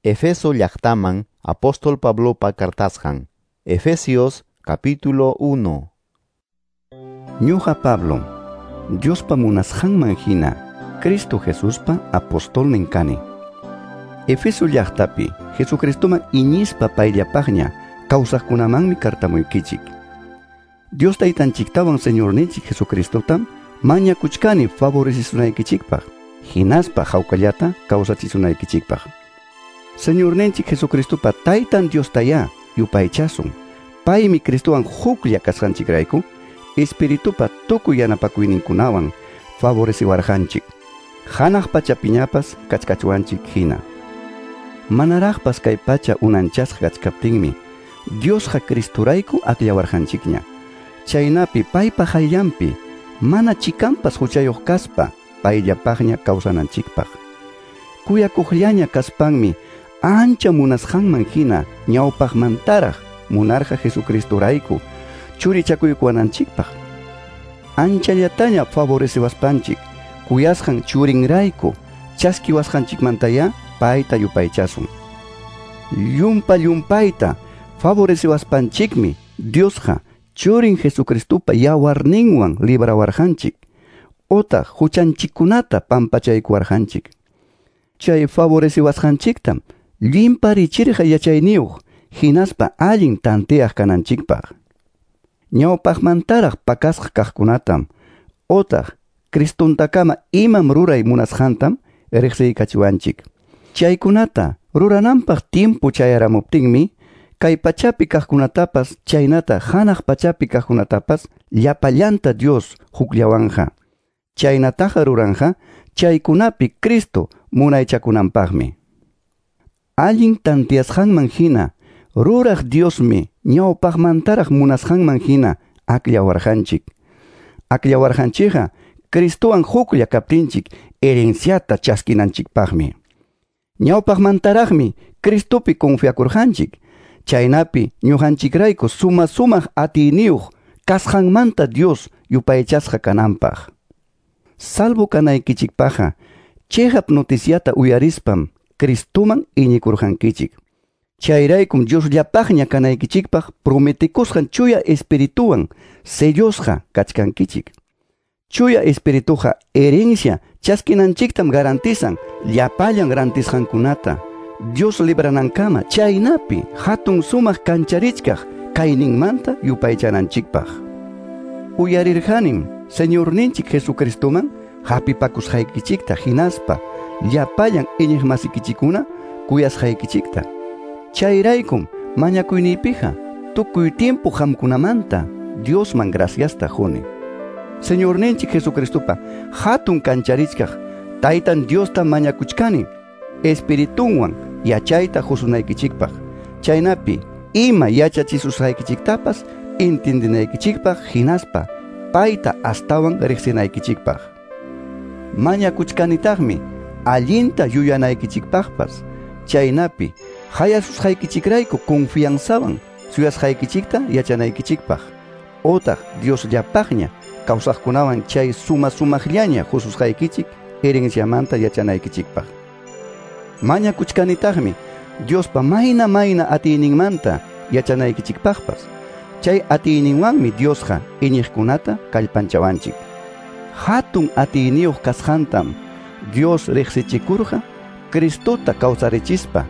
Efeso llaqtaman apóstol Pablopa cartasqan. Efesios capítulo 1. Ñuqa Pablo, Diospa munasqanman hina, Cristo Jesuspa apostolnin kani. Efeso llaqtapi Jesucristoman iñispa payllapaqña kawsaqkunamanmi kartamuykichik. Dios taytanchiktawan Señorninchik Jesucristotam mañakuchkani favorecisunaykichikpaq, hinaspa hawkallata kawsachisunaykichikpaq. Señorninchik Jesucristopa taytan Diostayá yupaychasun. Paymi Cristowan huklla kasqanchikrayku, Espiritupa tukuy yanapakuyninkunawan favoreciwarqanchik. Hanaq pachapiñapas kachkachuanchik hina. Manaraqpas kay pacha unanchasqa kachkaptinmi, Diosqa Cristorayku akllawarqanchikña. Chaynapi paypa hayllanpi mana chikanpas huchayuq kaspa payllapaqña kawsananchikpaq. Kuyakuqllaña kaspanmi ancha munasqanman hina ñawpaqmantaraq munarqa Jesucristorayku churichakuykuwananchikpaq. Anchallataña favoreciwaspanchik kuyasqan churinrayku chaskiwasqanchikmantayá payta yupaychasun. Llumpa llumpayta favoreciwaspanchikmi Diosqa churin Jesucristopa yawarninwan librawarqanchik otaq huchanchikkunata pampachaykuwarqanchik. Chay favoreciwasqanchiktam llimparichirqa yachayniyuq hinaspa allin tanteaq kananchikpaq. Ñawpaqmantaraq pakasqa kaqkunatam otaq Cristontakama imam ruray munasqantam riqsiykachiwanchik. Chaykunata rurananpaq tiempo chayaramuptinmi kay pachapi kaqkunatapas chaynata hanaq pachapi kaqkunatapas llapallanta Dios hukllawanja. Chaynataqa ruranja chaykunapi Cristo munaychakunanpaqmi. Allin tantiasqanman hina ruraq Diosmi ñawpaqmantaraq munasqanman hina akllawarqanchik. Akllawarqanchikqa Cristowan huklla kaptinchik herenciata chaskinanchikpaqmi. Ñawpaqmantaraqmi Cristopi confiakurqanchik. Chaynapi ñuqanchikrayku suma sumaq atiyniyuq kasqanmanta Dios yupaychasqa kananpaq. Salvo kanaykichikpaqqa chiqap noticiata uyarispam Cristoman iñikurqankichik. Chayraykum Diosllapaqña kanaykichikpaq prometikusqan chuya espirituwan sellosqa kachkankichik. Chuya espirituqa herencia chaskinanchiktam garantizan llapallan rantisqankunata Dios libranankama chaynapi hatun sumaq kancharichkaq kayninmanta yupaychananchikpaq. Uyarirqanim Señorninchik Jesucristoman hapipakusqaykichikta hinaspa llapallan iñiqmasikichikuna kuyasqaykichikta. Chayraykum mañakuyniypiqa tukuy tiempo qamkunamanta Diosman graciasta quni. Señorninchik Jesucristopa hatun kancharichkaq taytan Diosta mañakuchkani espiritunwan yachayta qusunaykichikpaq. Chaynapi ima yachachisusqaykichiktapas entendinaykichikpaq hinaspa payta astawan riqsinaykichikpaq. Mañakuchkanitaqmi allinta yuyanaykichikpaqpas. Chaynapi hayasusqaykichikrayku confianzawan suyasqaykichikta yachanaykichikpaq. Otaq Diosllapaqña kawsaqkunawan chay suma sumaqllaña qususqaykichik herenciamanta yachanaykichikpaq. Mañakuchkanitaqmi Diospa mayna mayna atiyninmanta yachanaykichikpaqpas. Chay atiyninwanmi Diosqa iñiqkunata kallpanchawanchik. Hatun atiyniyuq kasqantam Dios riqsichikurqa Cristota kawsarichispa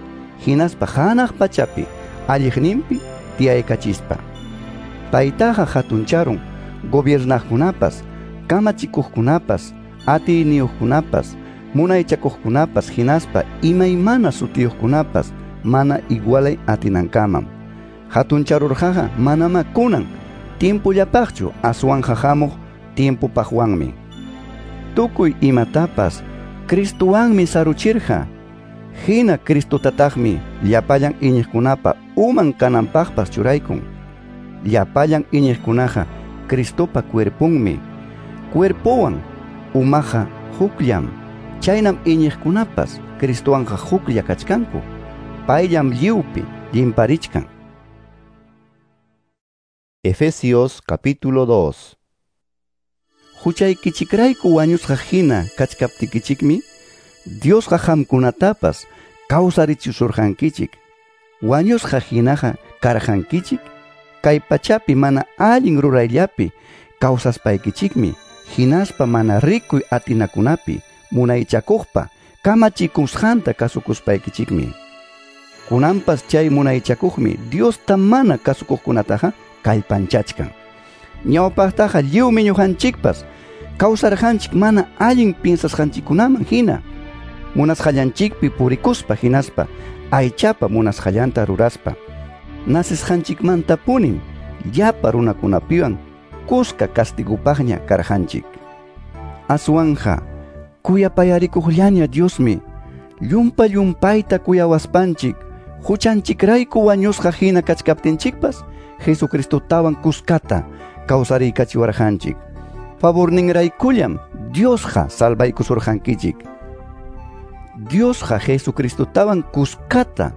hinaspa hanaq pachapi alliqninpi tiyaykachispa. Paytaqa hatuncharun gobiernaqkunapas, kamachikuqkunapas, atiyniyuqkunapas, munaychakuqkunapas hinaspa imaymana sutiyuqkunapas mana igualay atinankamam. Hatuncharurqaqa manama kunan tiempollapaqchu aswanqa hamuq tiempopaqwanmi. Tukuy imatapas Cristowanmi saruchirqa. Hina Cristotataqmi llapallan iñiqkunapa uman kananpaqpas churaykun. Llapallan iñiqkunaqa Cristopa cuerponmi. Cuerpowan umaqa hukllam. Chaynam iñiqkunapas Cristowanqa huklla kachkanku. Payllam lliwpi llimparichkan. Efesios capítulo 2. Huchaykichikrayku wañusqa hina kachkaptikichikmi Diosqa qamkunatapas kawsarichisurqankichik. Wañusqa hinaqa karqankichik, kay pachapi mana allin rurayllapi kawsaspaykichikmi, hinaspa mana rikuy atinakunapi munaychakuqpa kamachikusqanta kasukuspaykichikmi. Kunanpas chay munaychakuqmi Diosta mana kasukuqkunataqa kallpanchachkan. Ñawpaqtaqa lliwmi ñuqanchikpas kawsarqanchik mana allin piensasqanchikkunaman hina, munasqallanchikpi purikuspa hinaspa aychapa munasqallanta ruraspa. Nasisqanchikmantapunim llapa runakunapiwan kuska castigupaqña karqanchik. Aswanja kuyapayarikuqllaña Diosmi llumpa llumpayta kuyawaspanchik huchanchikrayku wañusqa hina kachkaptinchikpas Jesucristotawan kuskata kawsariykachiwarqanchik. Favorninraykullam Diosqa salvaykusurqankichik. Diosqa Jesucristotawan kuskata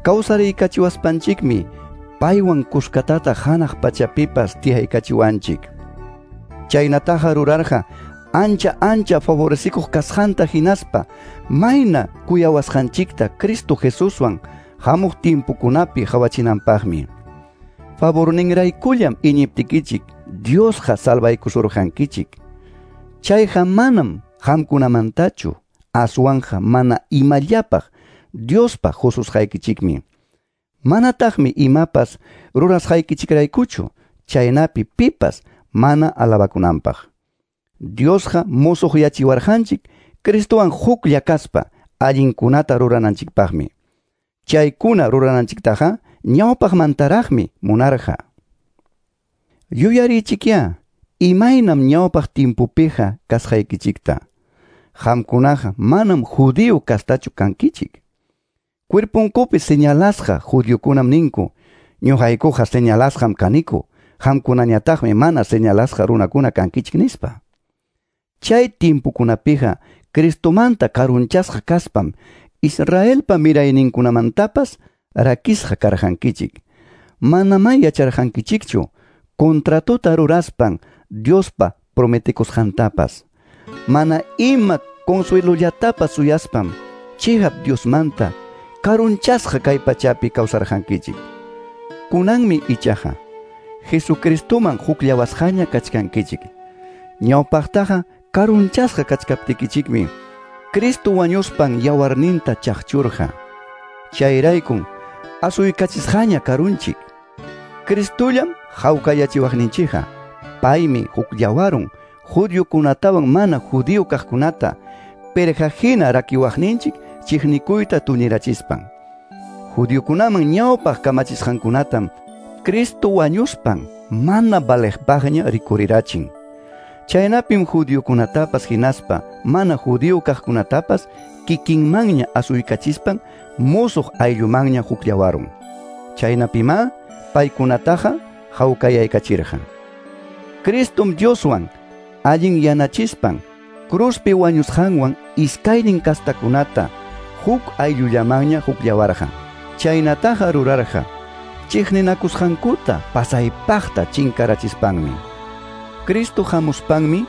kawsariykachiwaspanchikmi paywan kuskatata hanaq pachapipas tiyaykachiwanchik. Chaynataqa rurarqa ancha ancha favorecikuq kasqanta hinaspa mayna kuyawasqanchikta Cristo Jesuswan hamuq timpukunapi qhawachinanpaqmi. Favorninraykullam iñiptikichik Diosqa salvaykusurqankichik. Chayqa manam qamkunamantachu, aswanja mana imallapaq Diospa hususqaykichikmi. Manataqmi imapas rurasqaykichikraykuchu, chaynapi pipas mana alabakunanpaq. Diosqa musuqyachiwarqanchik Cristowan huklla kaspa allinkunata rurananchikpaqmi. Chaykuna rurananchiktaqa ñawpaqmantaraqmi munarqa. Yuyarichikya, imaynam ñawpaq timpupiqa kasqaykichikta. Qamkunaqa manam judío kastachu kankichik. Cuerpunkupi señalasqa judiokunam ninku, ñuqaykuqa señalasqam kaniku, qamkunañataqmi mana señalasqa runakuna kankichik nispa. Chay timpukunapiqa Cristomanta karunchasqa kaspam Israelpa mirayninkunamantapas rakisqa karqankichik. Manamá yacharqankichikchu contratota ruraspan Diospa prometikusqantapas. Mana ima consuelollatapas suyaspam chiqap Diosmanta karunchasqa kay pachapi kawsarqankichik. Kunanmi ichaqa Jesucristoman hukllawasqaña kachkankichik. Ñawpaqtaqa karunchasqa kachkaptikichikmi Cristo wañuspan yawarninta chaqchurqa. Chayraykun asuykachisqaña karunchik. Cristollam hawkayachiwaqninchikqa. Paymi hukllawarun judiokunatawan mana judío kaqkunata perqa hina rakiwaqninchik chiqnikuyta tuñirachispan. Judiokunaman ñawpaq kamachisqankunatam Cristo wañuspan mana valeqpaqña rikurirachin. Chaynapim judiokunatapas hinaspa mana judío kaqkunatapas kikinmanña asuykachispan musuq ayllumanña hukllawarun. Chaynapimá paykunataqa hawkayaykachirqa. Cristom Dioswan allin yanachispan cruzpi wañusqanwan iskaynin kastakunata huk ayllullamanña hukllawarqa. Chaynataqa rurarqa chiqninakusqankuta pasaypaqta chinkarachispanmi. Cristo hamuspanmi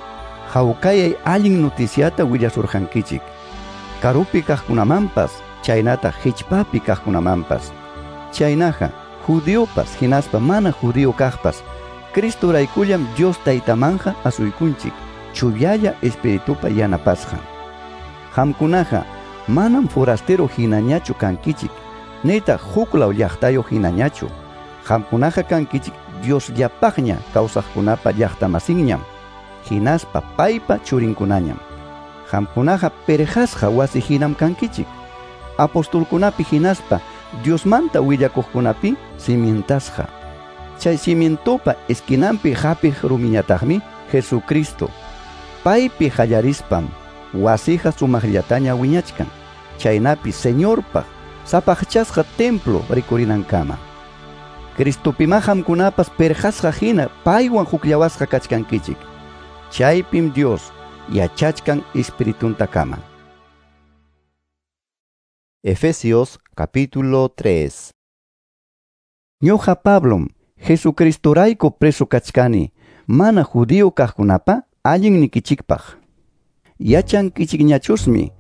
hawkayay allin noticiata willasurqankichik. Karupi kaqkunamanpas, chaynata hichpapi kaqkunamanpas. Chaynaqa judiopas hinaspa mana judío kaqpas Cristoraykullam Dios taytamanja asuykunchik chuyalla espiritupa yanapasqa. Qamkunaqa manam forastero hinañachu kankichik, nitaq huklaw llaqtayuq hinañachu. Qamkunaqa kankichik Diosllapaqña kawsaqkunapa llaqtamasinñam, hinaspa paypa churinkunañam. Qamkunaqa perqasqa wasi hinam kankichik. Apostolkunapi hinaspa Diosmanta willakuqkunapi cimientasqa. Chay cimientopa esquinampi hapiq rumiñataqmi Jesucristo. Paypi qallarispam wasija sumaqllataña wiñachkan, chaynapi Señorpaq sapaqchasqa templo rikurinankama. Cristopima qamkunapas perqasqa hina paywan hukllawasqa kachkankichik. Chaypim Dios yachachkan espirituntakama. Efesios capítulo 3. Ñuqa Pablom Jesucristorayku preso kachkani, mana judío kaqkunapa allinnikichikpaq. Yachankichikñachusmi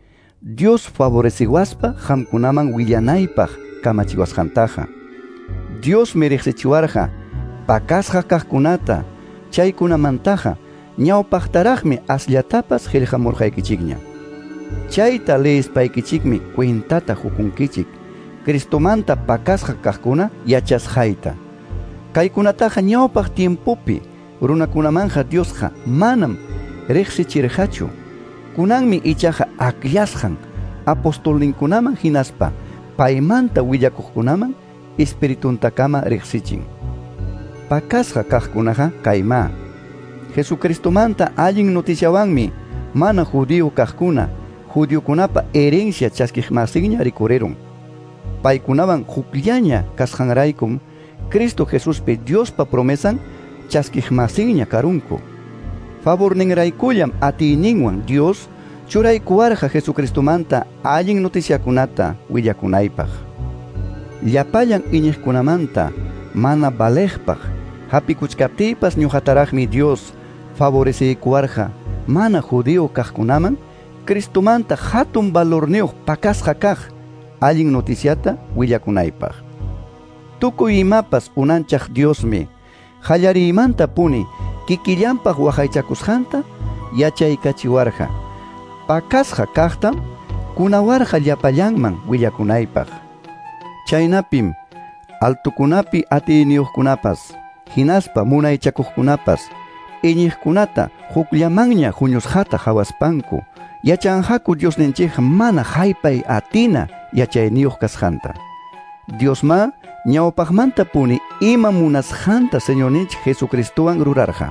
Dios favoreciwaspa qamkunaman willanaypaq kamachiwasqantaqa. Diosmi riqsichiwarqa pakasqa kaqkunata, chaykunamantaqa ñawpaqtaraqmi asllatapas qillqamurqaykichikña. Chayta leespaykichikmi cuentata hukunkichik Cristomanta pakasqa kaqkuna yachasqayta. Kaykunataqa ñawpaq tiempopi runakunamanja Diosqa manam riqsichirqachu. Kunanmi ichaqa akllasqan apostolninkunaman hinaspa paymanta willakuqkunaman espirituntakama riqsichin. Pakasqa kaqkunaqa kayma. Jesucristomanta allin noticiawanmi mana judío kaqkuna judiokunapa herencia chaskiqmasinña rikurirun. Paykunawan hukllaña kasqanraykum Cristo Jesuspi Diospa promesan chaskiqmasinña karunku. Favorninraykullam atiyninwan Dios churaykuwarqa Jesucristomanta allin noticiakunata willakunaypaq. Llapallan iñiqkunamanta mana valeqpaq hapikuchkaptiypas ñuqataraqmi Dios favoreciykuwarqa mana judío kaqkunaman Cristomanta hatun valorniyuq pakasqa kaq allin noticiata willakunaypaq. Tukuy imapas unanchaq Diosmi qallariymantapuni kikillanpaq waqaychakusqanta yachaykachiwarqa. Pakasqa kaqtam kunawarqa llapallanman willakunaypaq. Chaynapim altukunapi atiyniyuqkunapas hinaspa munaychakuqkunapas iñiqkunata hukllamanña huñusqata hawaspanku yachanqaku Diosninchikqa mana haypay atina yachayniyuq kasqanta. Diosma ñawpaqmantapuni ima munasqanta Señorninchik Jesucristowan rurarqa.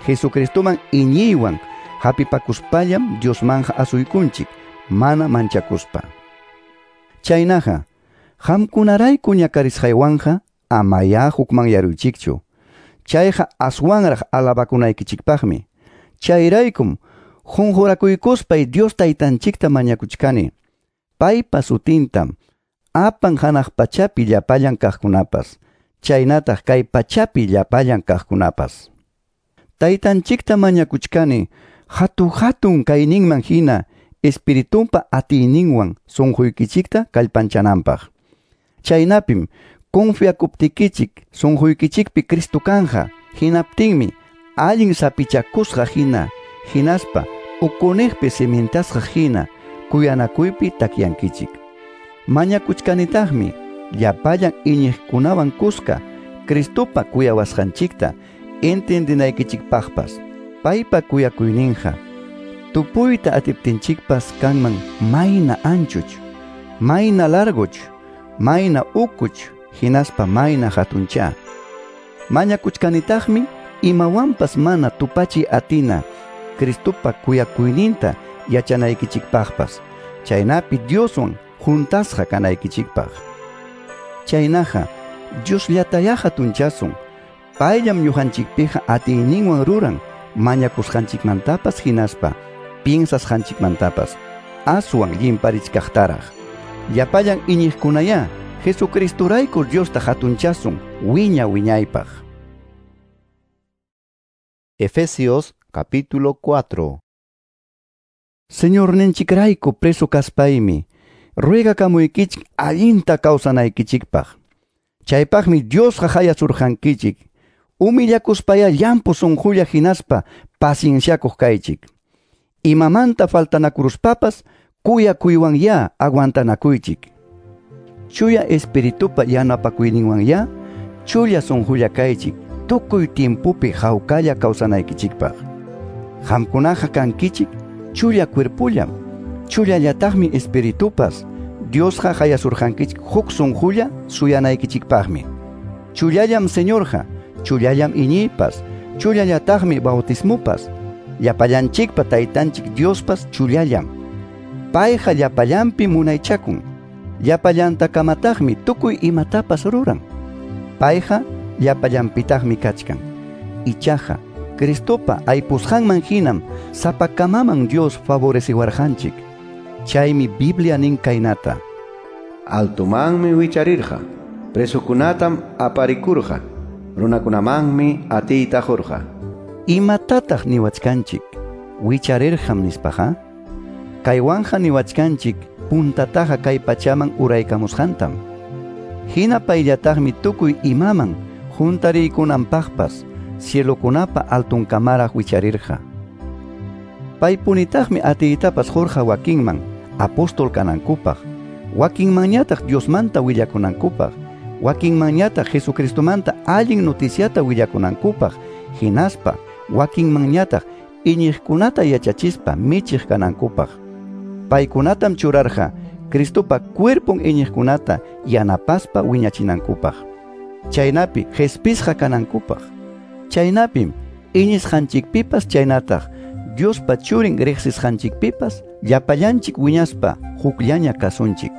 Jesucristoman iñiywan hapipakuspallam Diosmanja asuykunchik mana manchakuspa. Chaynaqa qamkunarayku ñakarisqaywanja amayá hukmanyaruychikchu. Chayqa aswanraq alabakunaykichikpaqmi. Chayraykum qunqurakuykuspay Dios taytanchikta mañakuchkani. Paypa sutintam apan hanaq pachapi llapallan kaqkunapas, chaynataq kay pachapi llapallan kaqkunapas. Taytanchikta mañakuchkani hatu-hatun kayninman hina espiritunpa atiyninwan sunquykichikta kallpanchananpaq. Chaynapim confiakuptikichik sunquykichikpi Cristo kanja, hinaptinmi allin sapichakusqa hina, hinaspa ukuniqpi cimentasqa hina kuyanakuypi takyankichik. Mañakuchkanitaqmi llapallan iñiqkunawan kuska Cristopa kuyawasqanchikta entendinaykichikpaqpas. Paypa kuyakuyninqa tupuyta atiptinchikpas kanman mayna anchuch, mayna larguch, mayna ukuch, hinaspa mayna hatuncha. Mañakuchkanitaqmi imawanpas mana tupachi atina Cristopa kuyakuyninta yachanaykichikpaqpas, chaynapi Dioswan juntasqa kanaykichikpaq. Chaynaqa Diosllatayá hatunchasun, payllam ñuqanchikpiqa atiyninwan ruran mañakusqanchikmantapas hinaspa piensasqanchikmantapas aswan llimparichkaqtaraq. Llapallan iñiqkunayá Jesucristorayku Diosta hatunchasun wiña wiñaypaq. Efesios capítulo 4. Señorninchikrayku preso kaspaymi ruegakamuykichik allinta kawsanaykichikpaq. Chaypaqmi Diosqa hayasurqankichik. Humillakuspayá llampu sunqulla hinaspa pacienciakuq kaychik. Imamanta faltanakuruspapas kuyakuywanyá aguantanakuychik. Chuya espiritupa yanapakuyninwanyá chulla sunqulla kaychik tukuy tiempopi hawkalla kawsanaykichikpaq. Qamkunaqa kankichik chulla cuerpullam, chullallataqmi espiritupas. Diosqa hayasurqankichik huk sunqulla suyanaykichikpaqmi. Chullallam Señorqa, chullallam iñiypas, chullallataqmi bautismupas. Llapallanchikpa taytanchik Diospas chullallam. Payqa llapallanpi munaychakun. Llapallantakamataqmi tukuy imatapas ruran. Payqa llapallanpitaqmi kachkan. Ichaqa Cristopa aypusqanman hinam sapakamaman Dios favoreciwarqanchik. Chaymi Biblia nin kaynata: Altumanmi wicharirqa, presokunatam aparikurqa, runakunamanmi atiyta qurqa. Imatataq niwachkanchik wicharirqam nispaqa? Kaywanqa niwachkanchik puntataqa kay pachaman uraykamusqantam. Hina payllataqmi tukuy imaman juntariykunanpaqpas cielokunapa altunkamaraq wicharirqa. Paypunitaqmi atiytapas qurqa wakinman apóstol kanankupaq, wakinmanñataq Diosmanta willakunankupaq, wakinmanñataq Jesucristomanta allin noticiata willakunankupaq, hinaspa wakinmanñataq iñiqkunata yachachispa michiq kanankupaq. Paykunatam churarqa Cristopa cuerpon iñiqkunata yanapaspa wiñachinankupaq. Chaynapi qespisqa kanankupaq. Chaynapim iñisqanchikpipas chaynataq Diospa churin riqsisqanchikpipas llapallanchik wiñaspa hukllaña kasunchik.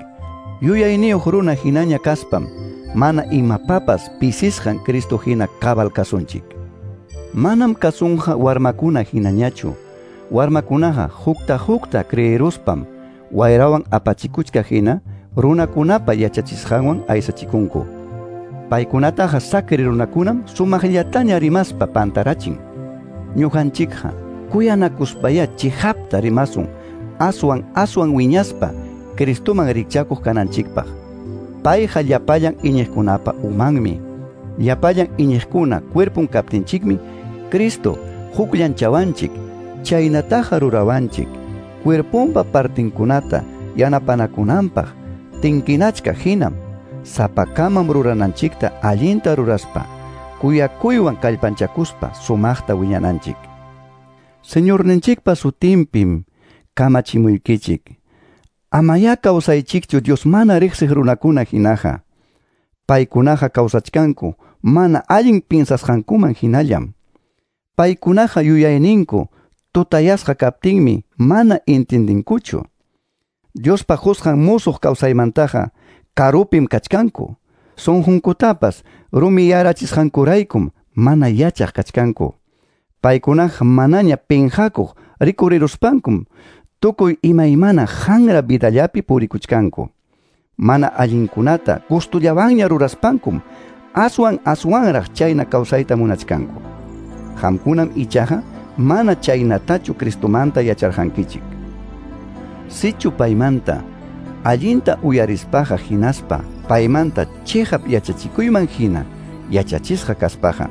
Yuyayniyuq runa hinaña kaspam mana imapapas pisisqan Cristo hina cabal kasunchik. Manam kasunqa warmakuna hinañachu. Warmakunaqa hukta hukta creeruspam wayrawan apachikuchka hina runakunapa yachachisqanwan aysachikunku. Paykunataqa sakri runakunam sumaqllataña rimaspa pantarachin. Ñuqanchikqa kuyanakuspaya chihapta rimasun aswan aswan wiñaspa Cristoman rikchakuq kananchikpaq. Payqa llapallan iñiqkunapa umanmi. Llapallan iñiqkuna cuerpon kaptinchikmi Cristo hukllanchawanchik, chaynataqa rurawanchik cuerponpa partinkunata yanapanakunanpaq tinkinachka hinam sapakamam rurananchikta allinta ruraspa kuyakuywan kallpanchakuspa sumaqta wiñananchik. Señorninchikpa sutinpim kamachimuykichik. Amayá kawsaychikchu Dios mana riqsiq runakuna hinaqa. Paykunaqa kawsachkanku mana allin pinsasqankuman hinallam. Paykunaqa yuyayninku tutayasqa kaptinmi mana intindinkuchu. Diospa qusqan musuq kawsaymantaqa karupim kachkanku. Sunqunkutapas rumiyarachisqankuraykum mana yachaq kachkanku. Paykunaqa manaña pinqakuq rikuriruspankum tukuy imaymana hanra vidallapi purikuchkanku. Mana allinkunata gustullawanña ruraspankum aswan aswanraq chayna kawsayta munachkanku. Qamkunam ichaqa mana chaynatachu Cristomanta yacharqankichik. Sichu paymanta allinta uyarispaqa hinaspa paymanta chiqap yachachikuyman hina yachachisqa kaspaqa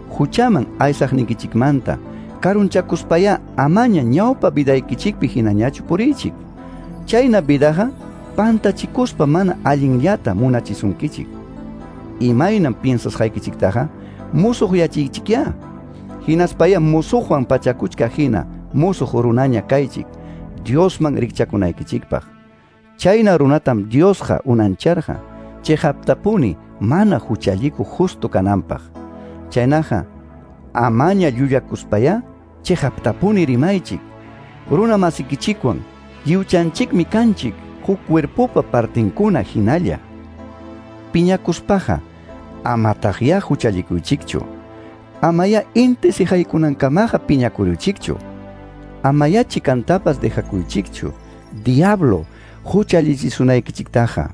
huchaman aysaqnikichikmanta karunchakuspaya amaña ñawpa vidaykichikpi hinañachu puriychik. Chayna vidaqa pantachikuspa mana allinllata munachisunkichik. Imaynam piensasqaykichiktaqa musuqyachiychikyá. Hinaspaya musuqwan pachakuchka hina musuq runaña kaychik Diosman rikchakunaykichikpaq. Chayna runatam Diosqa unancharqa chiqaptapuni mana huchallikuq justo kananpaq. Chaynaqa amaña llullakuspaya chiqaptapuni rimaychik. Runa masikichikwan lliwchanchikmi kanchik huk cuerpopa partinkuna hinalla. Piñakuspaqa amataqya huchallikuychikchu. Amaya inti siqaykunankamaqa piñakuruychikchu. Amaya chikantapas dejakuychikchu diablo huchallichisunaykichiktaqa.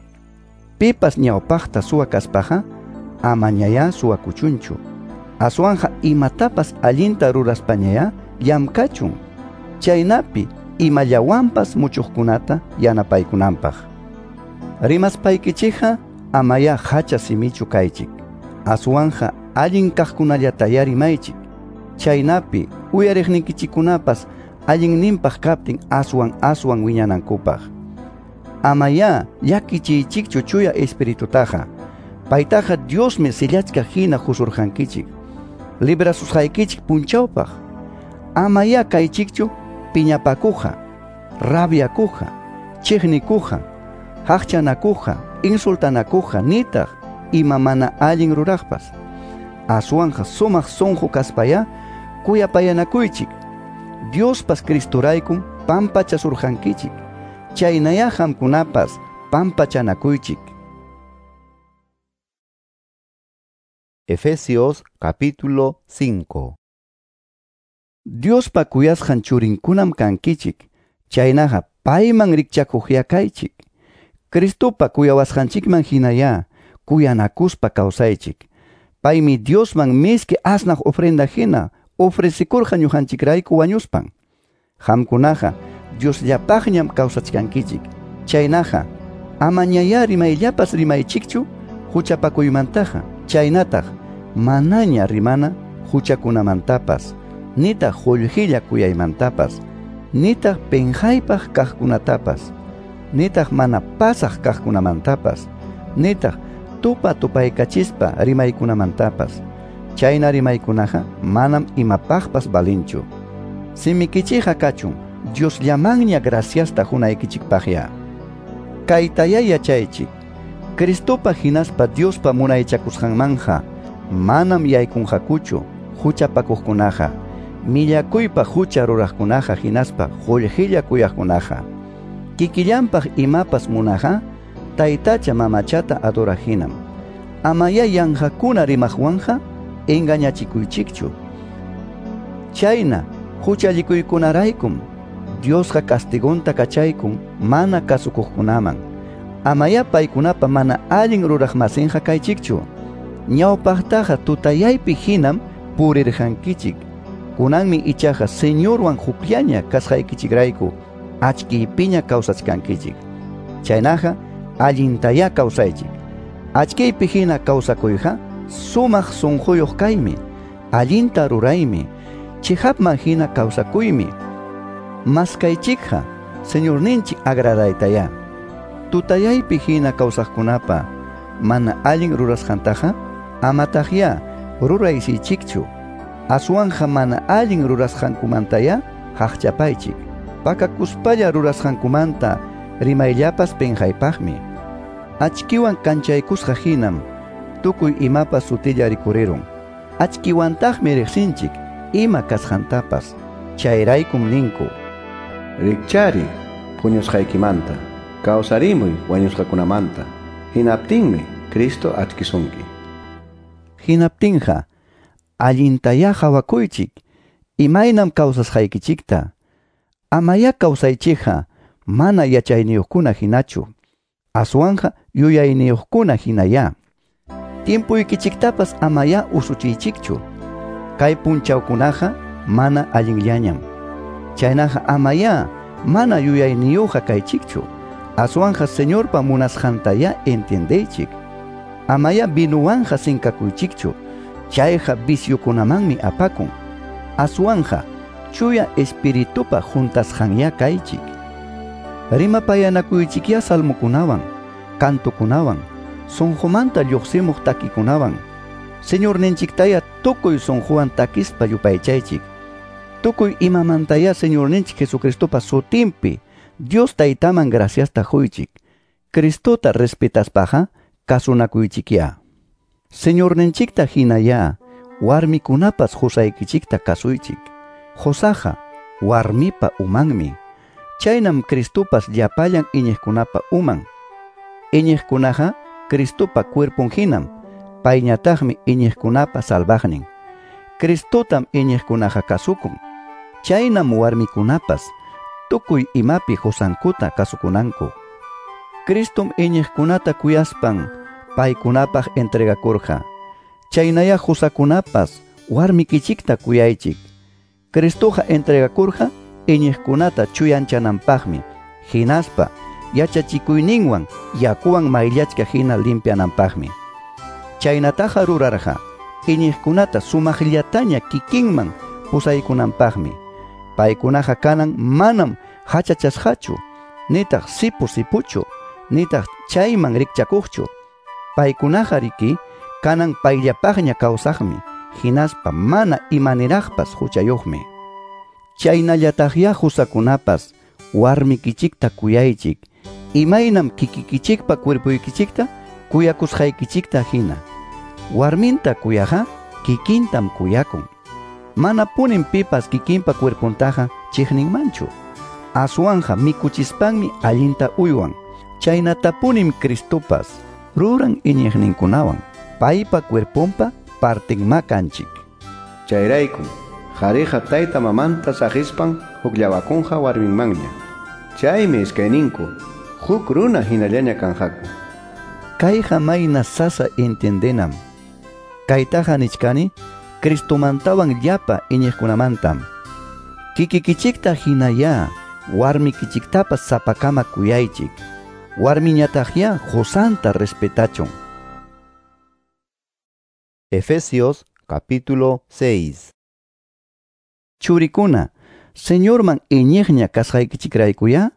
Pipas ñawpaqta suwa kaspaqa amañayá suwakuchunchu. Aswanja imatapas allinta ruraspañayá llamkachun. Chaynapi imallawanpas muchuqkunata yanapaykunanpaq. Rimaspaykichikqa amaya hacha simichu kaychik. Aswanja allin kaqkunallataya rimaychik. Chaynapi uyariqnikichikkunapas allinninpaq kaptin aswan aswan wiñanankupaq. Amaya llakichiychikchu chuya espiritutaqa. Paytaqa Diosmi sillachka hina husurqankichik. Librasusqaykichik punchawpaq. Amaya kaychikchu piñapakuqa, rabiakuqa, chiqnikuqa, haqchanakuqa, insultanakuqa nitaq ima mana allin ruraqpas. Aswanja sumaq sunqu kaspaya kuyapayanakuychik. Diospas Cristoraykum pampachasurqankichik. Chaynaya qamkunapas pampachanakuychik. Efesios capítulo 5. Diospa kuyasqan churinkunam kankichik. Chaynaqa payman rikchakuqya kaychik. Cristopa kuyawasqanchikman hinaya kuyanakuspa kawsaychik. Paymi Diosman miski asnaq ofrenda hina ofrecikurqa ñuqanchikrayku wañuspan. Qamkunaqa Diosllapaqñam kawsachkankichik. Chaynaqa amañayá rimayllapas rimaychikchu huchapakuymantaqa, chaynataq manaña rimana huchakunamantapas, nitaq qullqilla kuyaymantapas, nitaq penqaypaq kaqkunatapas, nitaq mana pasaq kaqkunamantapas, nitaq tupa tupaykachispa rimaykunamantapas. Chayna rimaykunaqa manam imapaqpas valinchu. Simikichikqa kachun Diosllamanña graciasta hunaykichikpaqya. Kaytayá yachaychik, Cristopa hinaspa Diospa munaychakusqanmanja manam yaykunqakuchu huchapakuqkunaqa, millakuypa hucha ruraqkunaqa hinaspa qullqilla kuyaqkunaqa. Kikillanpaq imapas munaqa taytacha mamachata adoraq hinam. Amayá yanqakuna rimaqwanqa engañachikuychikchu. Chayna huchallikuykunaraykum Diosqa castigonta kachaykun mana kasukuqkunaman. Amayá paykunapa mana allin ruraqmasinqa kaychikchu. Ñawpaqtaqa tutayaypi hinam purirqankichik. Kunanmi ichaqa Señorwan hukllaña kasqaykichikrayku achkiypiña kawsachkankichik. Chaynaqa allintayá kawsaychik. Achkiypi hina kawsakuyqa sumaq sunquyuq kaymi, allinta ruraymi, chihapman hina kawsakuymi. Maskaychikqa Señorninchik agradaytayá. Tutayaypi hina kawsaqkunapa mana allin rurasqantaqa amataqyá ruraysichikchu. Aswanja mana allin rurasqankumantayá haqchapaychik. Pakakuspalla rurasqankumanta rimayllapas penqaypaqmi. Achkiwan kanchaykusqa hinam tukuy imapas sutilla rikurirun. Achkiwantaqmi riqsinchik ima kasqantapas. Chayraykum ninku: Rikchari puñusqaykimanta, kawsarimuy wañusqakunamanta, hinaptinmi Cristo achkisunki. Hinaptinqa allintayá qhawakuychik imaynam kawsasqaykichikta. Amayá kawsaychikqa mana yachayniyuqkuna hinachu, aswanqa yuyayniyuqkuna hinayá. Tiempuykichiktapas amayá usuchiychikchu. Kay punchawkunaqa mana allinllañam. Chaynaqa amayá mana yuyayniyuqqa kaychikchu. Aswanja Señorpa munasqantayá entiendeychik. Amayá vinuwanja sinkakuychikchu. Chayqa viciokunamanmi apakun. Aswanja chuya espiritupa juntasqanyá kaychik. Rimapayanakuychikyá salmokunawan, cantokunawan, sunqumanta lluqsimuq takikunawan. Señorninchiktaya tukuy sunquwan takispa yupaychaychik. Tukuy imamantayá Señorninchik Jesucristopa sutinpi Dios Taytaman graciasta huychik. Cristota respetaspaqa kasunakuychikyá. Señorninchikta hinayá warmikunapas qusaykichikta kasuychik. Qusaqa warmipa umanmi. Chaynam Cristopas llapallan iñiqkunapa uman. Iñiqkunaqa Cristopa cuerpon hinam, payñataqmi iñiqkunapa salvaqnin. Cristotam iñiqkunaqa kasukun. Chaynam warmikunapas tukuy imapi qusankuta kasukunanku. Cristom iñiqkunata kuyaspan paykunapaq entregakurqa. Chaynayá qusakunapas warmikichikta kuyaychik. Cristoqa entregakurqa iñiqkunata chuyanchananpaqmi, hinaspa yachachikuyninwan yakuwan mayllachka hina limpiananpaqmi. Chaynataqa rurarqa iñiqkunata sumaqllataña kikinman pusaykunanpaqmi. Paykunaqa kanan manam hachachasqachu, nitaq sipu sipuchu, nitaq chayman rikchakuqchu. Paykunaqa riki kanan payllapaqña kawsaqmi, hinaspa mana imaniraqpas huchayuqmi. Chaynallataqyá qusakunapas warmikichikta kuyaychik, imaynam kikikichikpa cuerpuykichikta kuyakusqaykichikta hina. Warminta kuyaqa kikintam kuyakun. Manapunim pipas kikinpa cuerpuntaqa chiqninmanchu. Aswanja mikuchispanmi allinta uywan. Chaynatapunim Cristopas ruran iñiqninkunawan, paypa cuerpunpa partinma kanchik. Chayraykum qhariqa tayta mamanta saqispan hukllawakunqa warminmanña. Chaymi iskayninku huk runa hinallaña kanqaku. Kayqa mayna sasa entiendenam. Kaytaqa nichkani Cristomantawan llapa iñiqkunamantam. Kikikichikta hinayá warmikichiktapas sapakama kuyaychik. Warmiñataqyá qusanta respetachun. Efesios capítulo 6. Churikuna, Señorman iñiqña kasqaykichikraykuyá,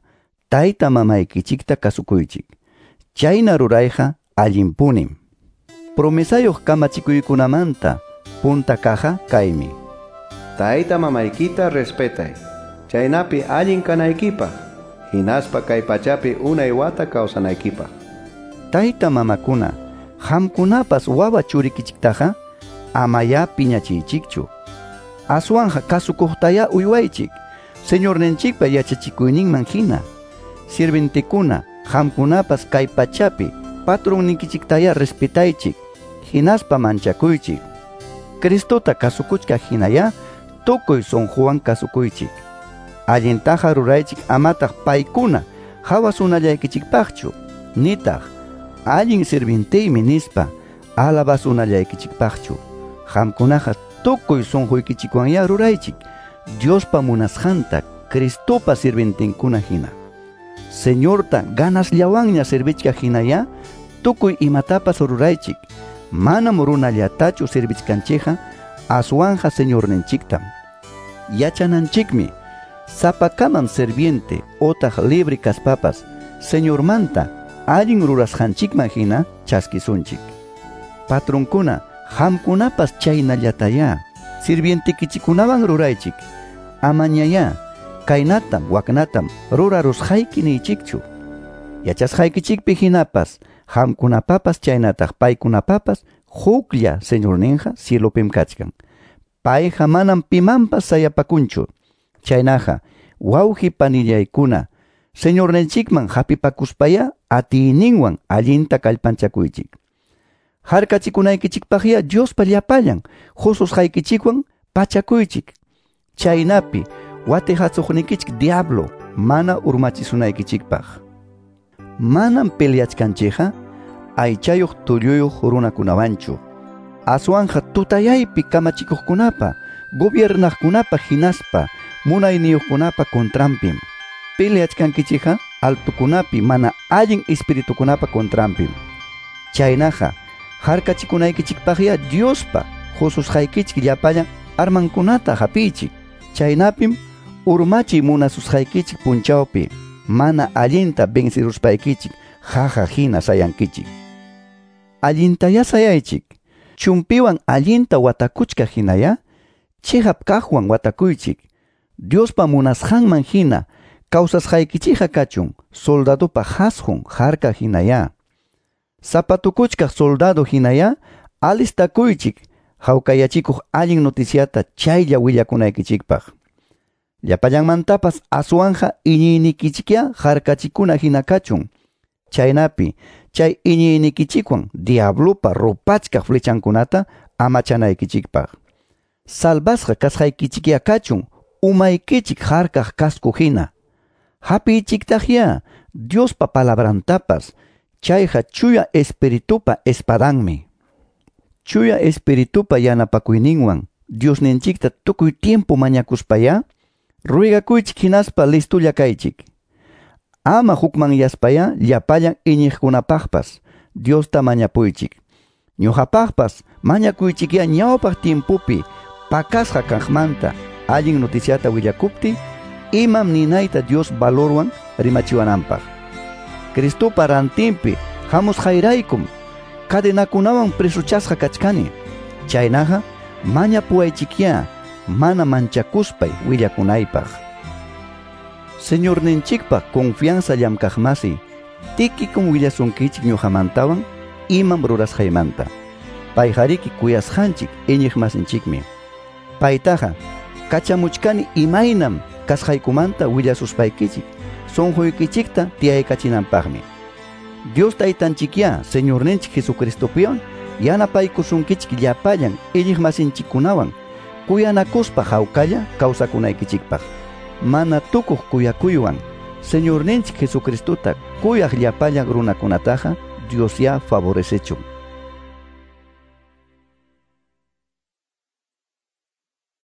tayta mamaykichikta kasukuychik. Chayna rurayqa allinpunim. Promesayuq kamachikuykunamanta punta kaja kaymi. Tayta mamaykita respetay, chaynapi allin kanaykipaq, hinaspa kay pachapi unay wata kawsanaykipaq. Tayta mamakuna, qamkunapas wawa churikichiktaqa amayá piñachiychikchu. Aswanja kasukuqtayá uywaychik, Señorninchikpa yachachikuyninman hina. Sirventekuna, qamkunapas kay pachapi patronnikichiktayá respetaychik, hinaspa manchakuychik. Cristota kasukuchka hinayá tukuy sunquwan kasukuychik. Allintaqa ruraychik amataq paykuna hawasunallaykichikpaqchu, nitaq allin sirvinteymi nispa alabasunallaykichikpaqchu. Qamkunaqa tukuy sunquykichikwanyá ruraychik Diospa munasqanta Cristopa sirvientinkuna hina. Señorta ganasllawanña servichka hinayá tukuy imatapas ruraychik. Manam runallatachu servichkanchikqa, aswanja Señorninchiktam. Yachananchikmi, sapakamam serviente otaq libre kaspapas Señormanta allin rurasqanchikman hina chaskisunchik. Patronkuna, qamkunapas chaynallatayá sirvientikichikunawan ruraychik. Amañayá kaynatam waknatam rurarusqayki niychikchu. Yachasqaykichikpi hinapas qamkunapapas chaynataq paykunapapas huklla Señorninqa cielopim kachkan. Payqa manam pimanpas sayapakunchu. Chaynaqa wawqi panillaykuna, Señorninchikman hapipakuspayá atiyninwan allinta kallpanchakuychik. Harkachikunaykichikpaqyá Diospa llapallan hususqaykichikwan pachakuychik. Chaynapi watihasuqnikichik diablo mana urmachisunaykichikpaq. Manam peleachkanchikqa aychayuq tulluyuq runakunawanchu. Aswanja tutayaypi kamachikuqkunapa, gobiernaqkunapa hinaspa munayniyuqkunapa contranpim. Peleachkankichikqa altukunapi mana allin espiritukunapa contranpim. Chaynaqa harkachikunaykichikpaqyá Diospa hususqaykichik llapallan armankunata hapiychik. Chaynapim urmachiy munasusqaykichik punchawpi mana allinta venceruspaykichik jaja hina sayankichik. Allintayá sayaychik, chumpiwan allinta watakuchka hinayá chiqap kaqwan watakuychik. Diospa munasqanman hina kawsasqaykichikqa kachun soldadopa hasqun harka hinayá. Zapatukuchkaq soldado hinayá alistakuychik hawkayachikuq allin noticiata chaylla willakunaykichikpaq. Llapallanmantapas aswanja iñiynikichikyá harkachikuna hina kachun. Chaynapi chay iñiynikichikwan diablopa rupachkaq flechankunata amachanaykichikpaq. Salvasqa kasqaykichikyá kachun umaykichik harkaq casco hina. Hapiychiktaqyá Diospa palabrantapas, chayqa chuya espiritupa espadanmi. Chuya espiritupa yanapakuyninwan Diosninchikta tukuy tiempo mañakuspayá ruegakuychik hinaspa listulla kaychik. Ama hukmanyaspayá llapallan iñiqkunapaqpas Diosta mañapuychik. Ñuqapaqpas mañakuychikyá ñawpaq tiempopi pakasqa kaqmanta allin noticiata willakuptiy imam ninayta Dios valorwan rimachiwananpaq. Cristopa rantinpi hamusqayraykum cadenakunawan presochasqa kachkani. Chaynaqa mañapuwaychikyá mana manchakuspay willakunaypaq. Señorninchikpa confianza llamkaqmasi Tíquicum willasunkichik ñuqamantawan imam rurasqaymanta. Payqariki kuyasqanchik iñiqmasinchikmi. Paytaqa kachamuchkani imaynam kasqaykumanta willasuspaykichik sunquykichikta tiyaykachinanpaqmi. Dios taytanchikyá Señorninchik Jesucristopiwan yanapaykusunkichik llapallan iñiqmasinchikkunawan kuyanakuspa hawkalla kawsakunaykichikpaq. Mana tukuq kuyakuywan Señorninchik Jesucristota kuyaq llapallan runakunataqa Diosyá favorecechun.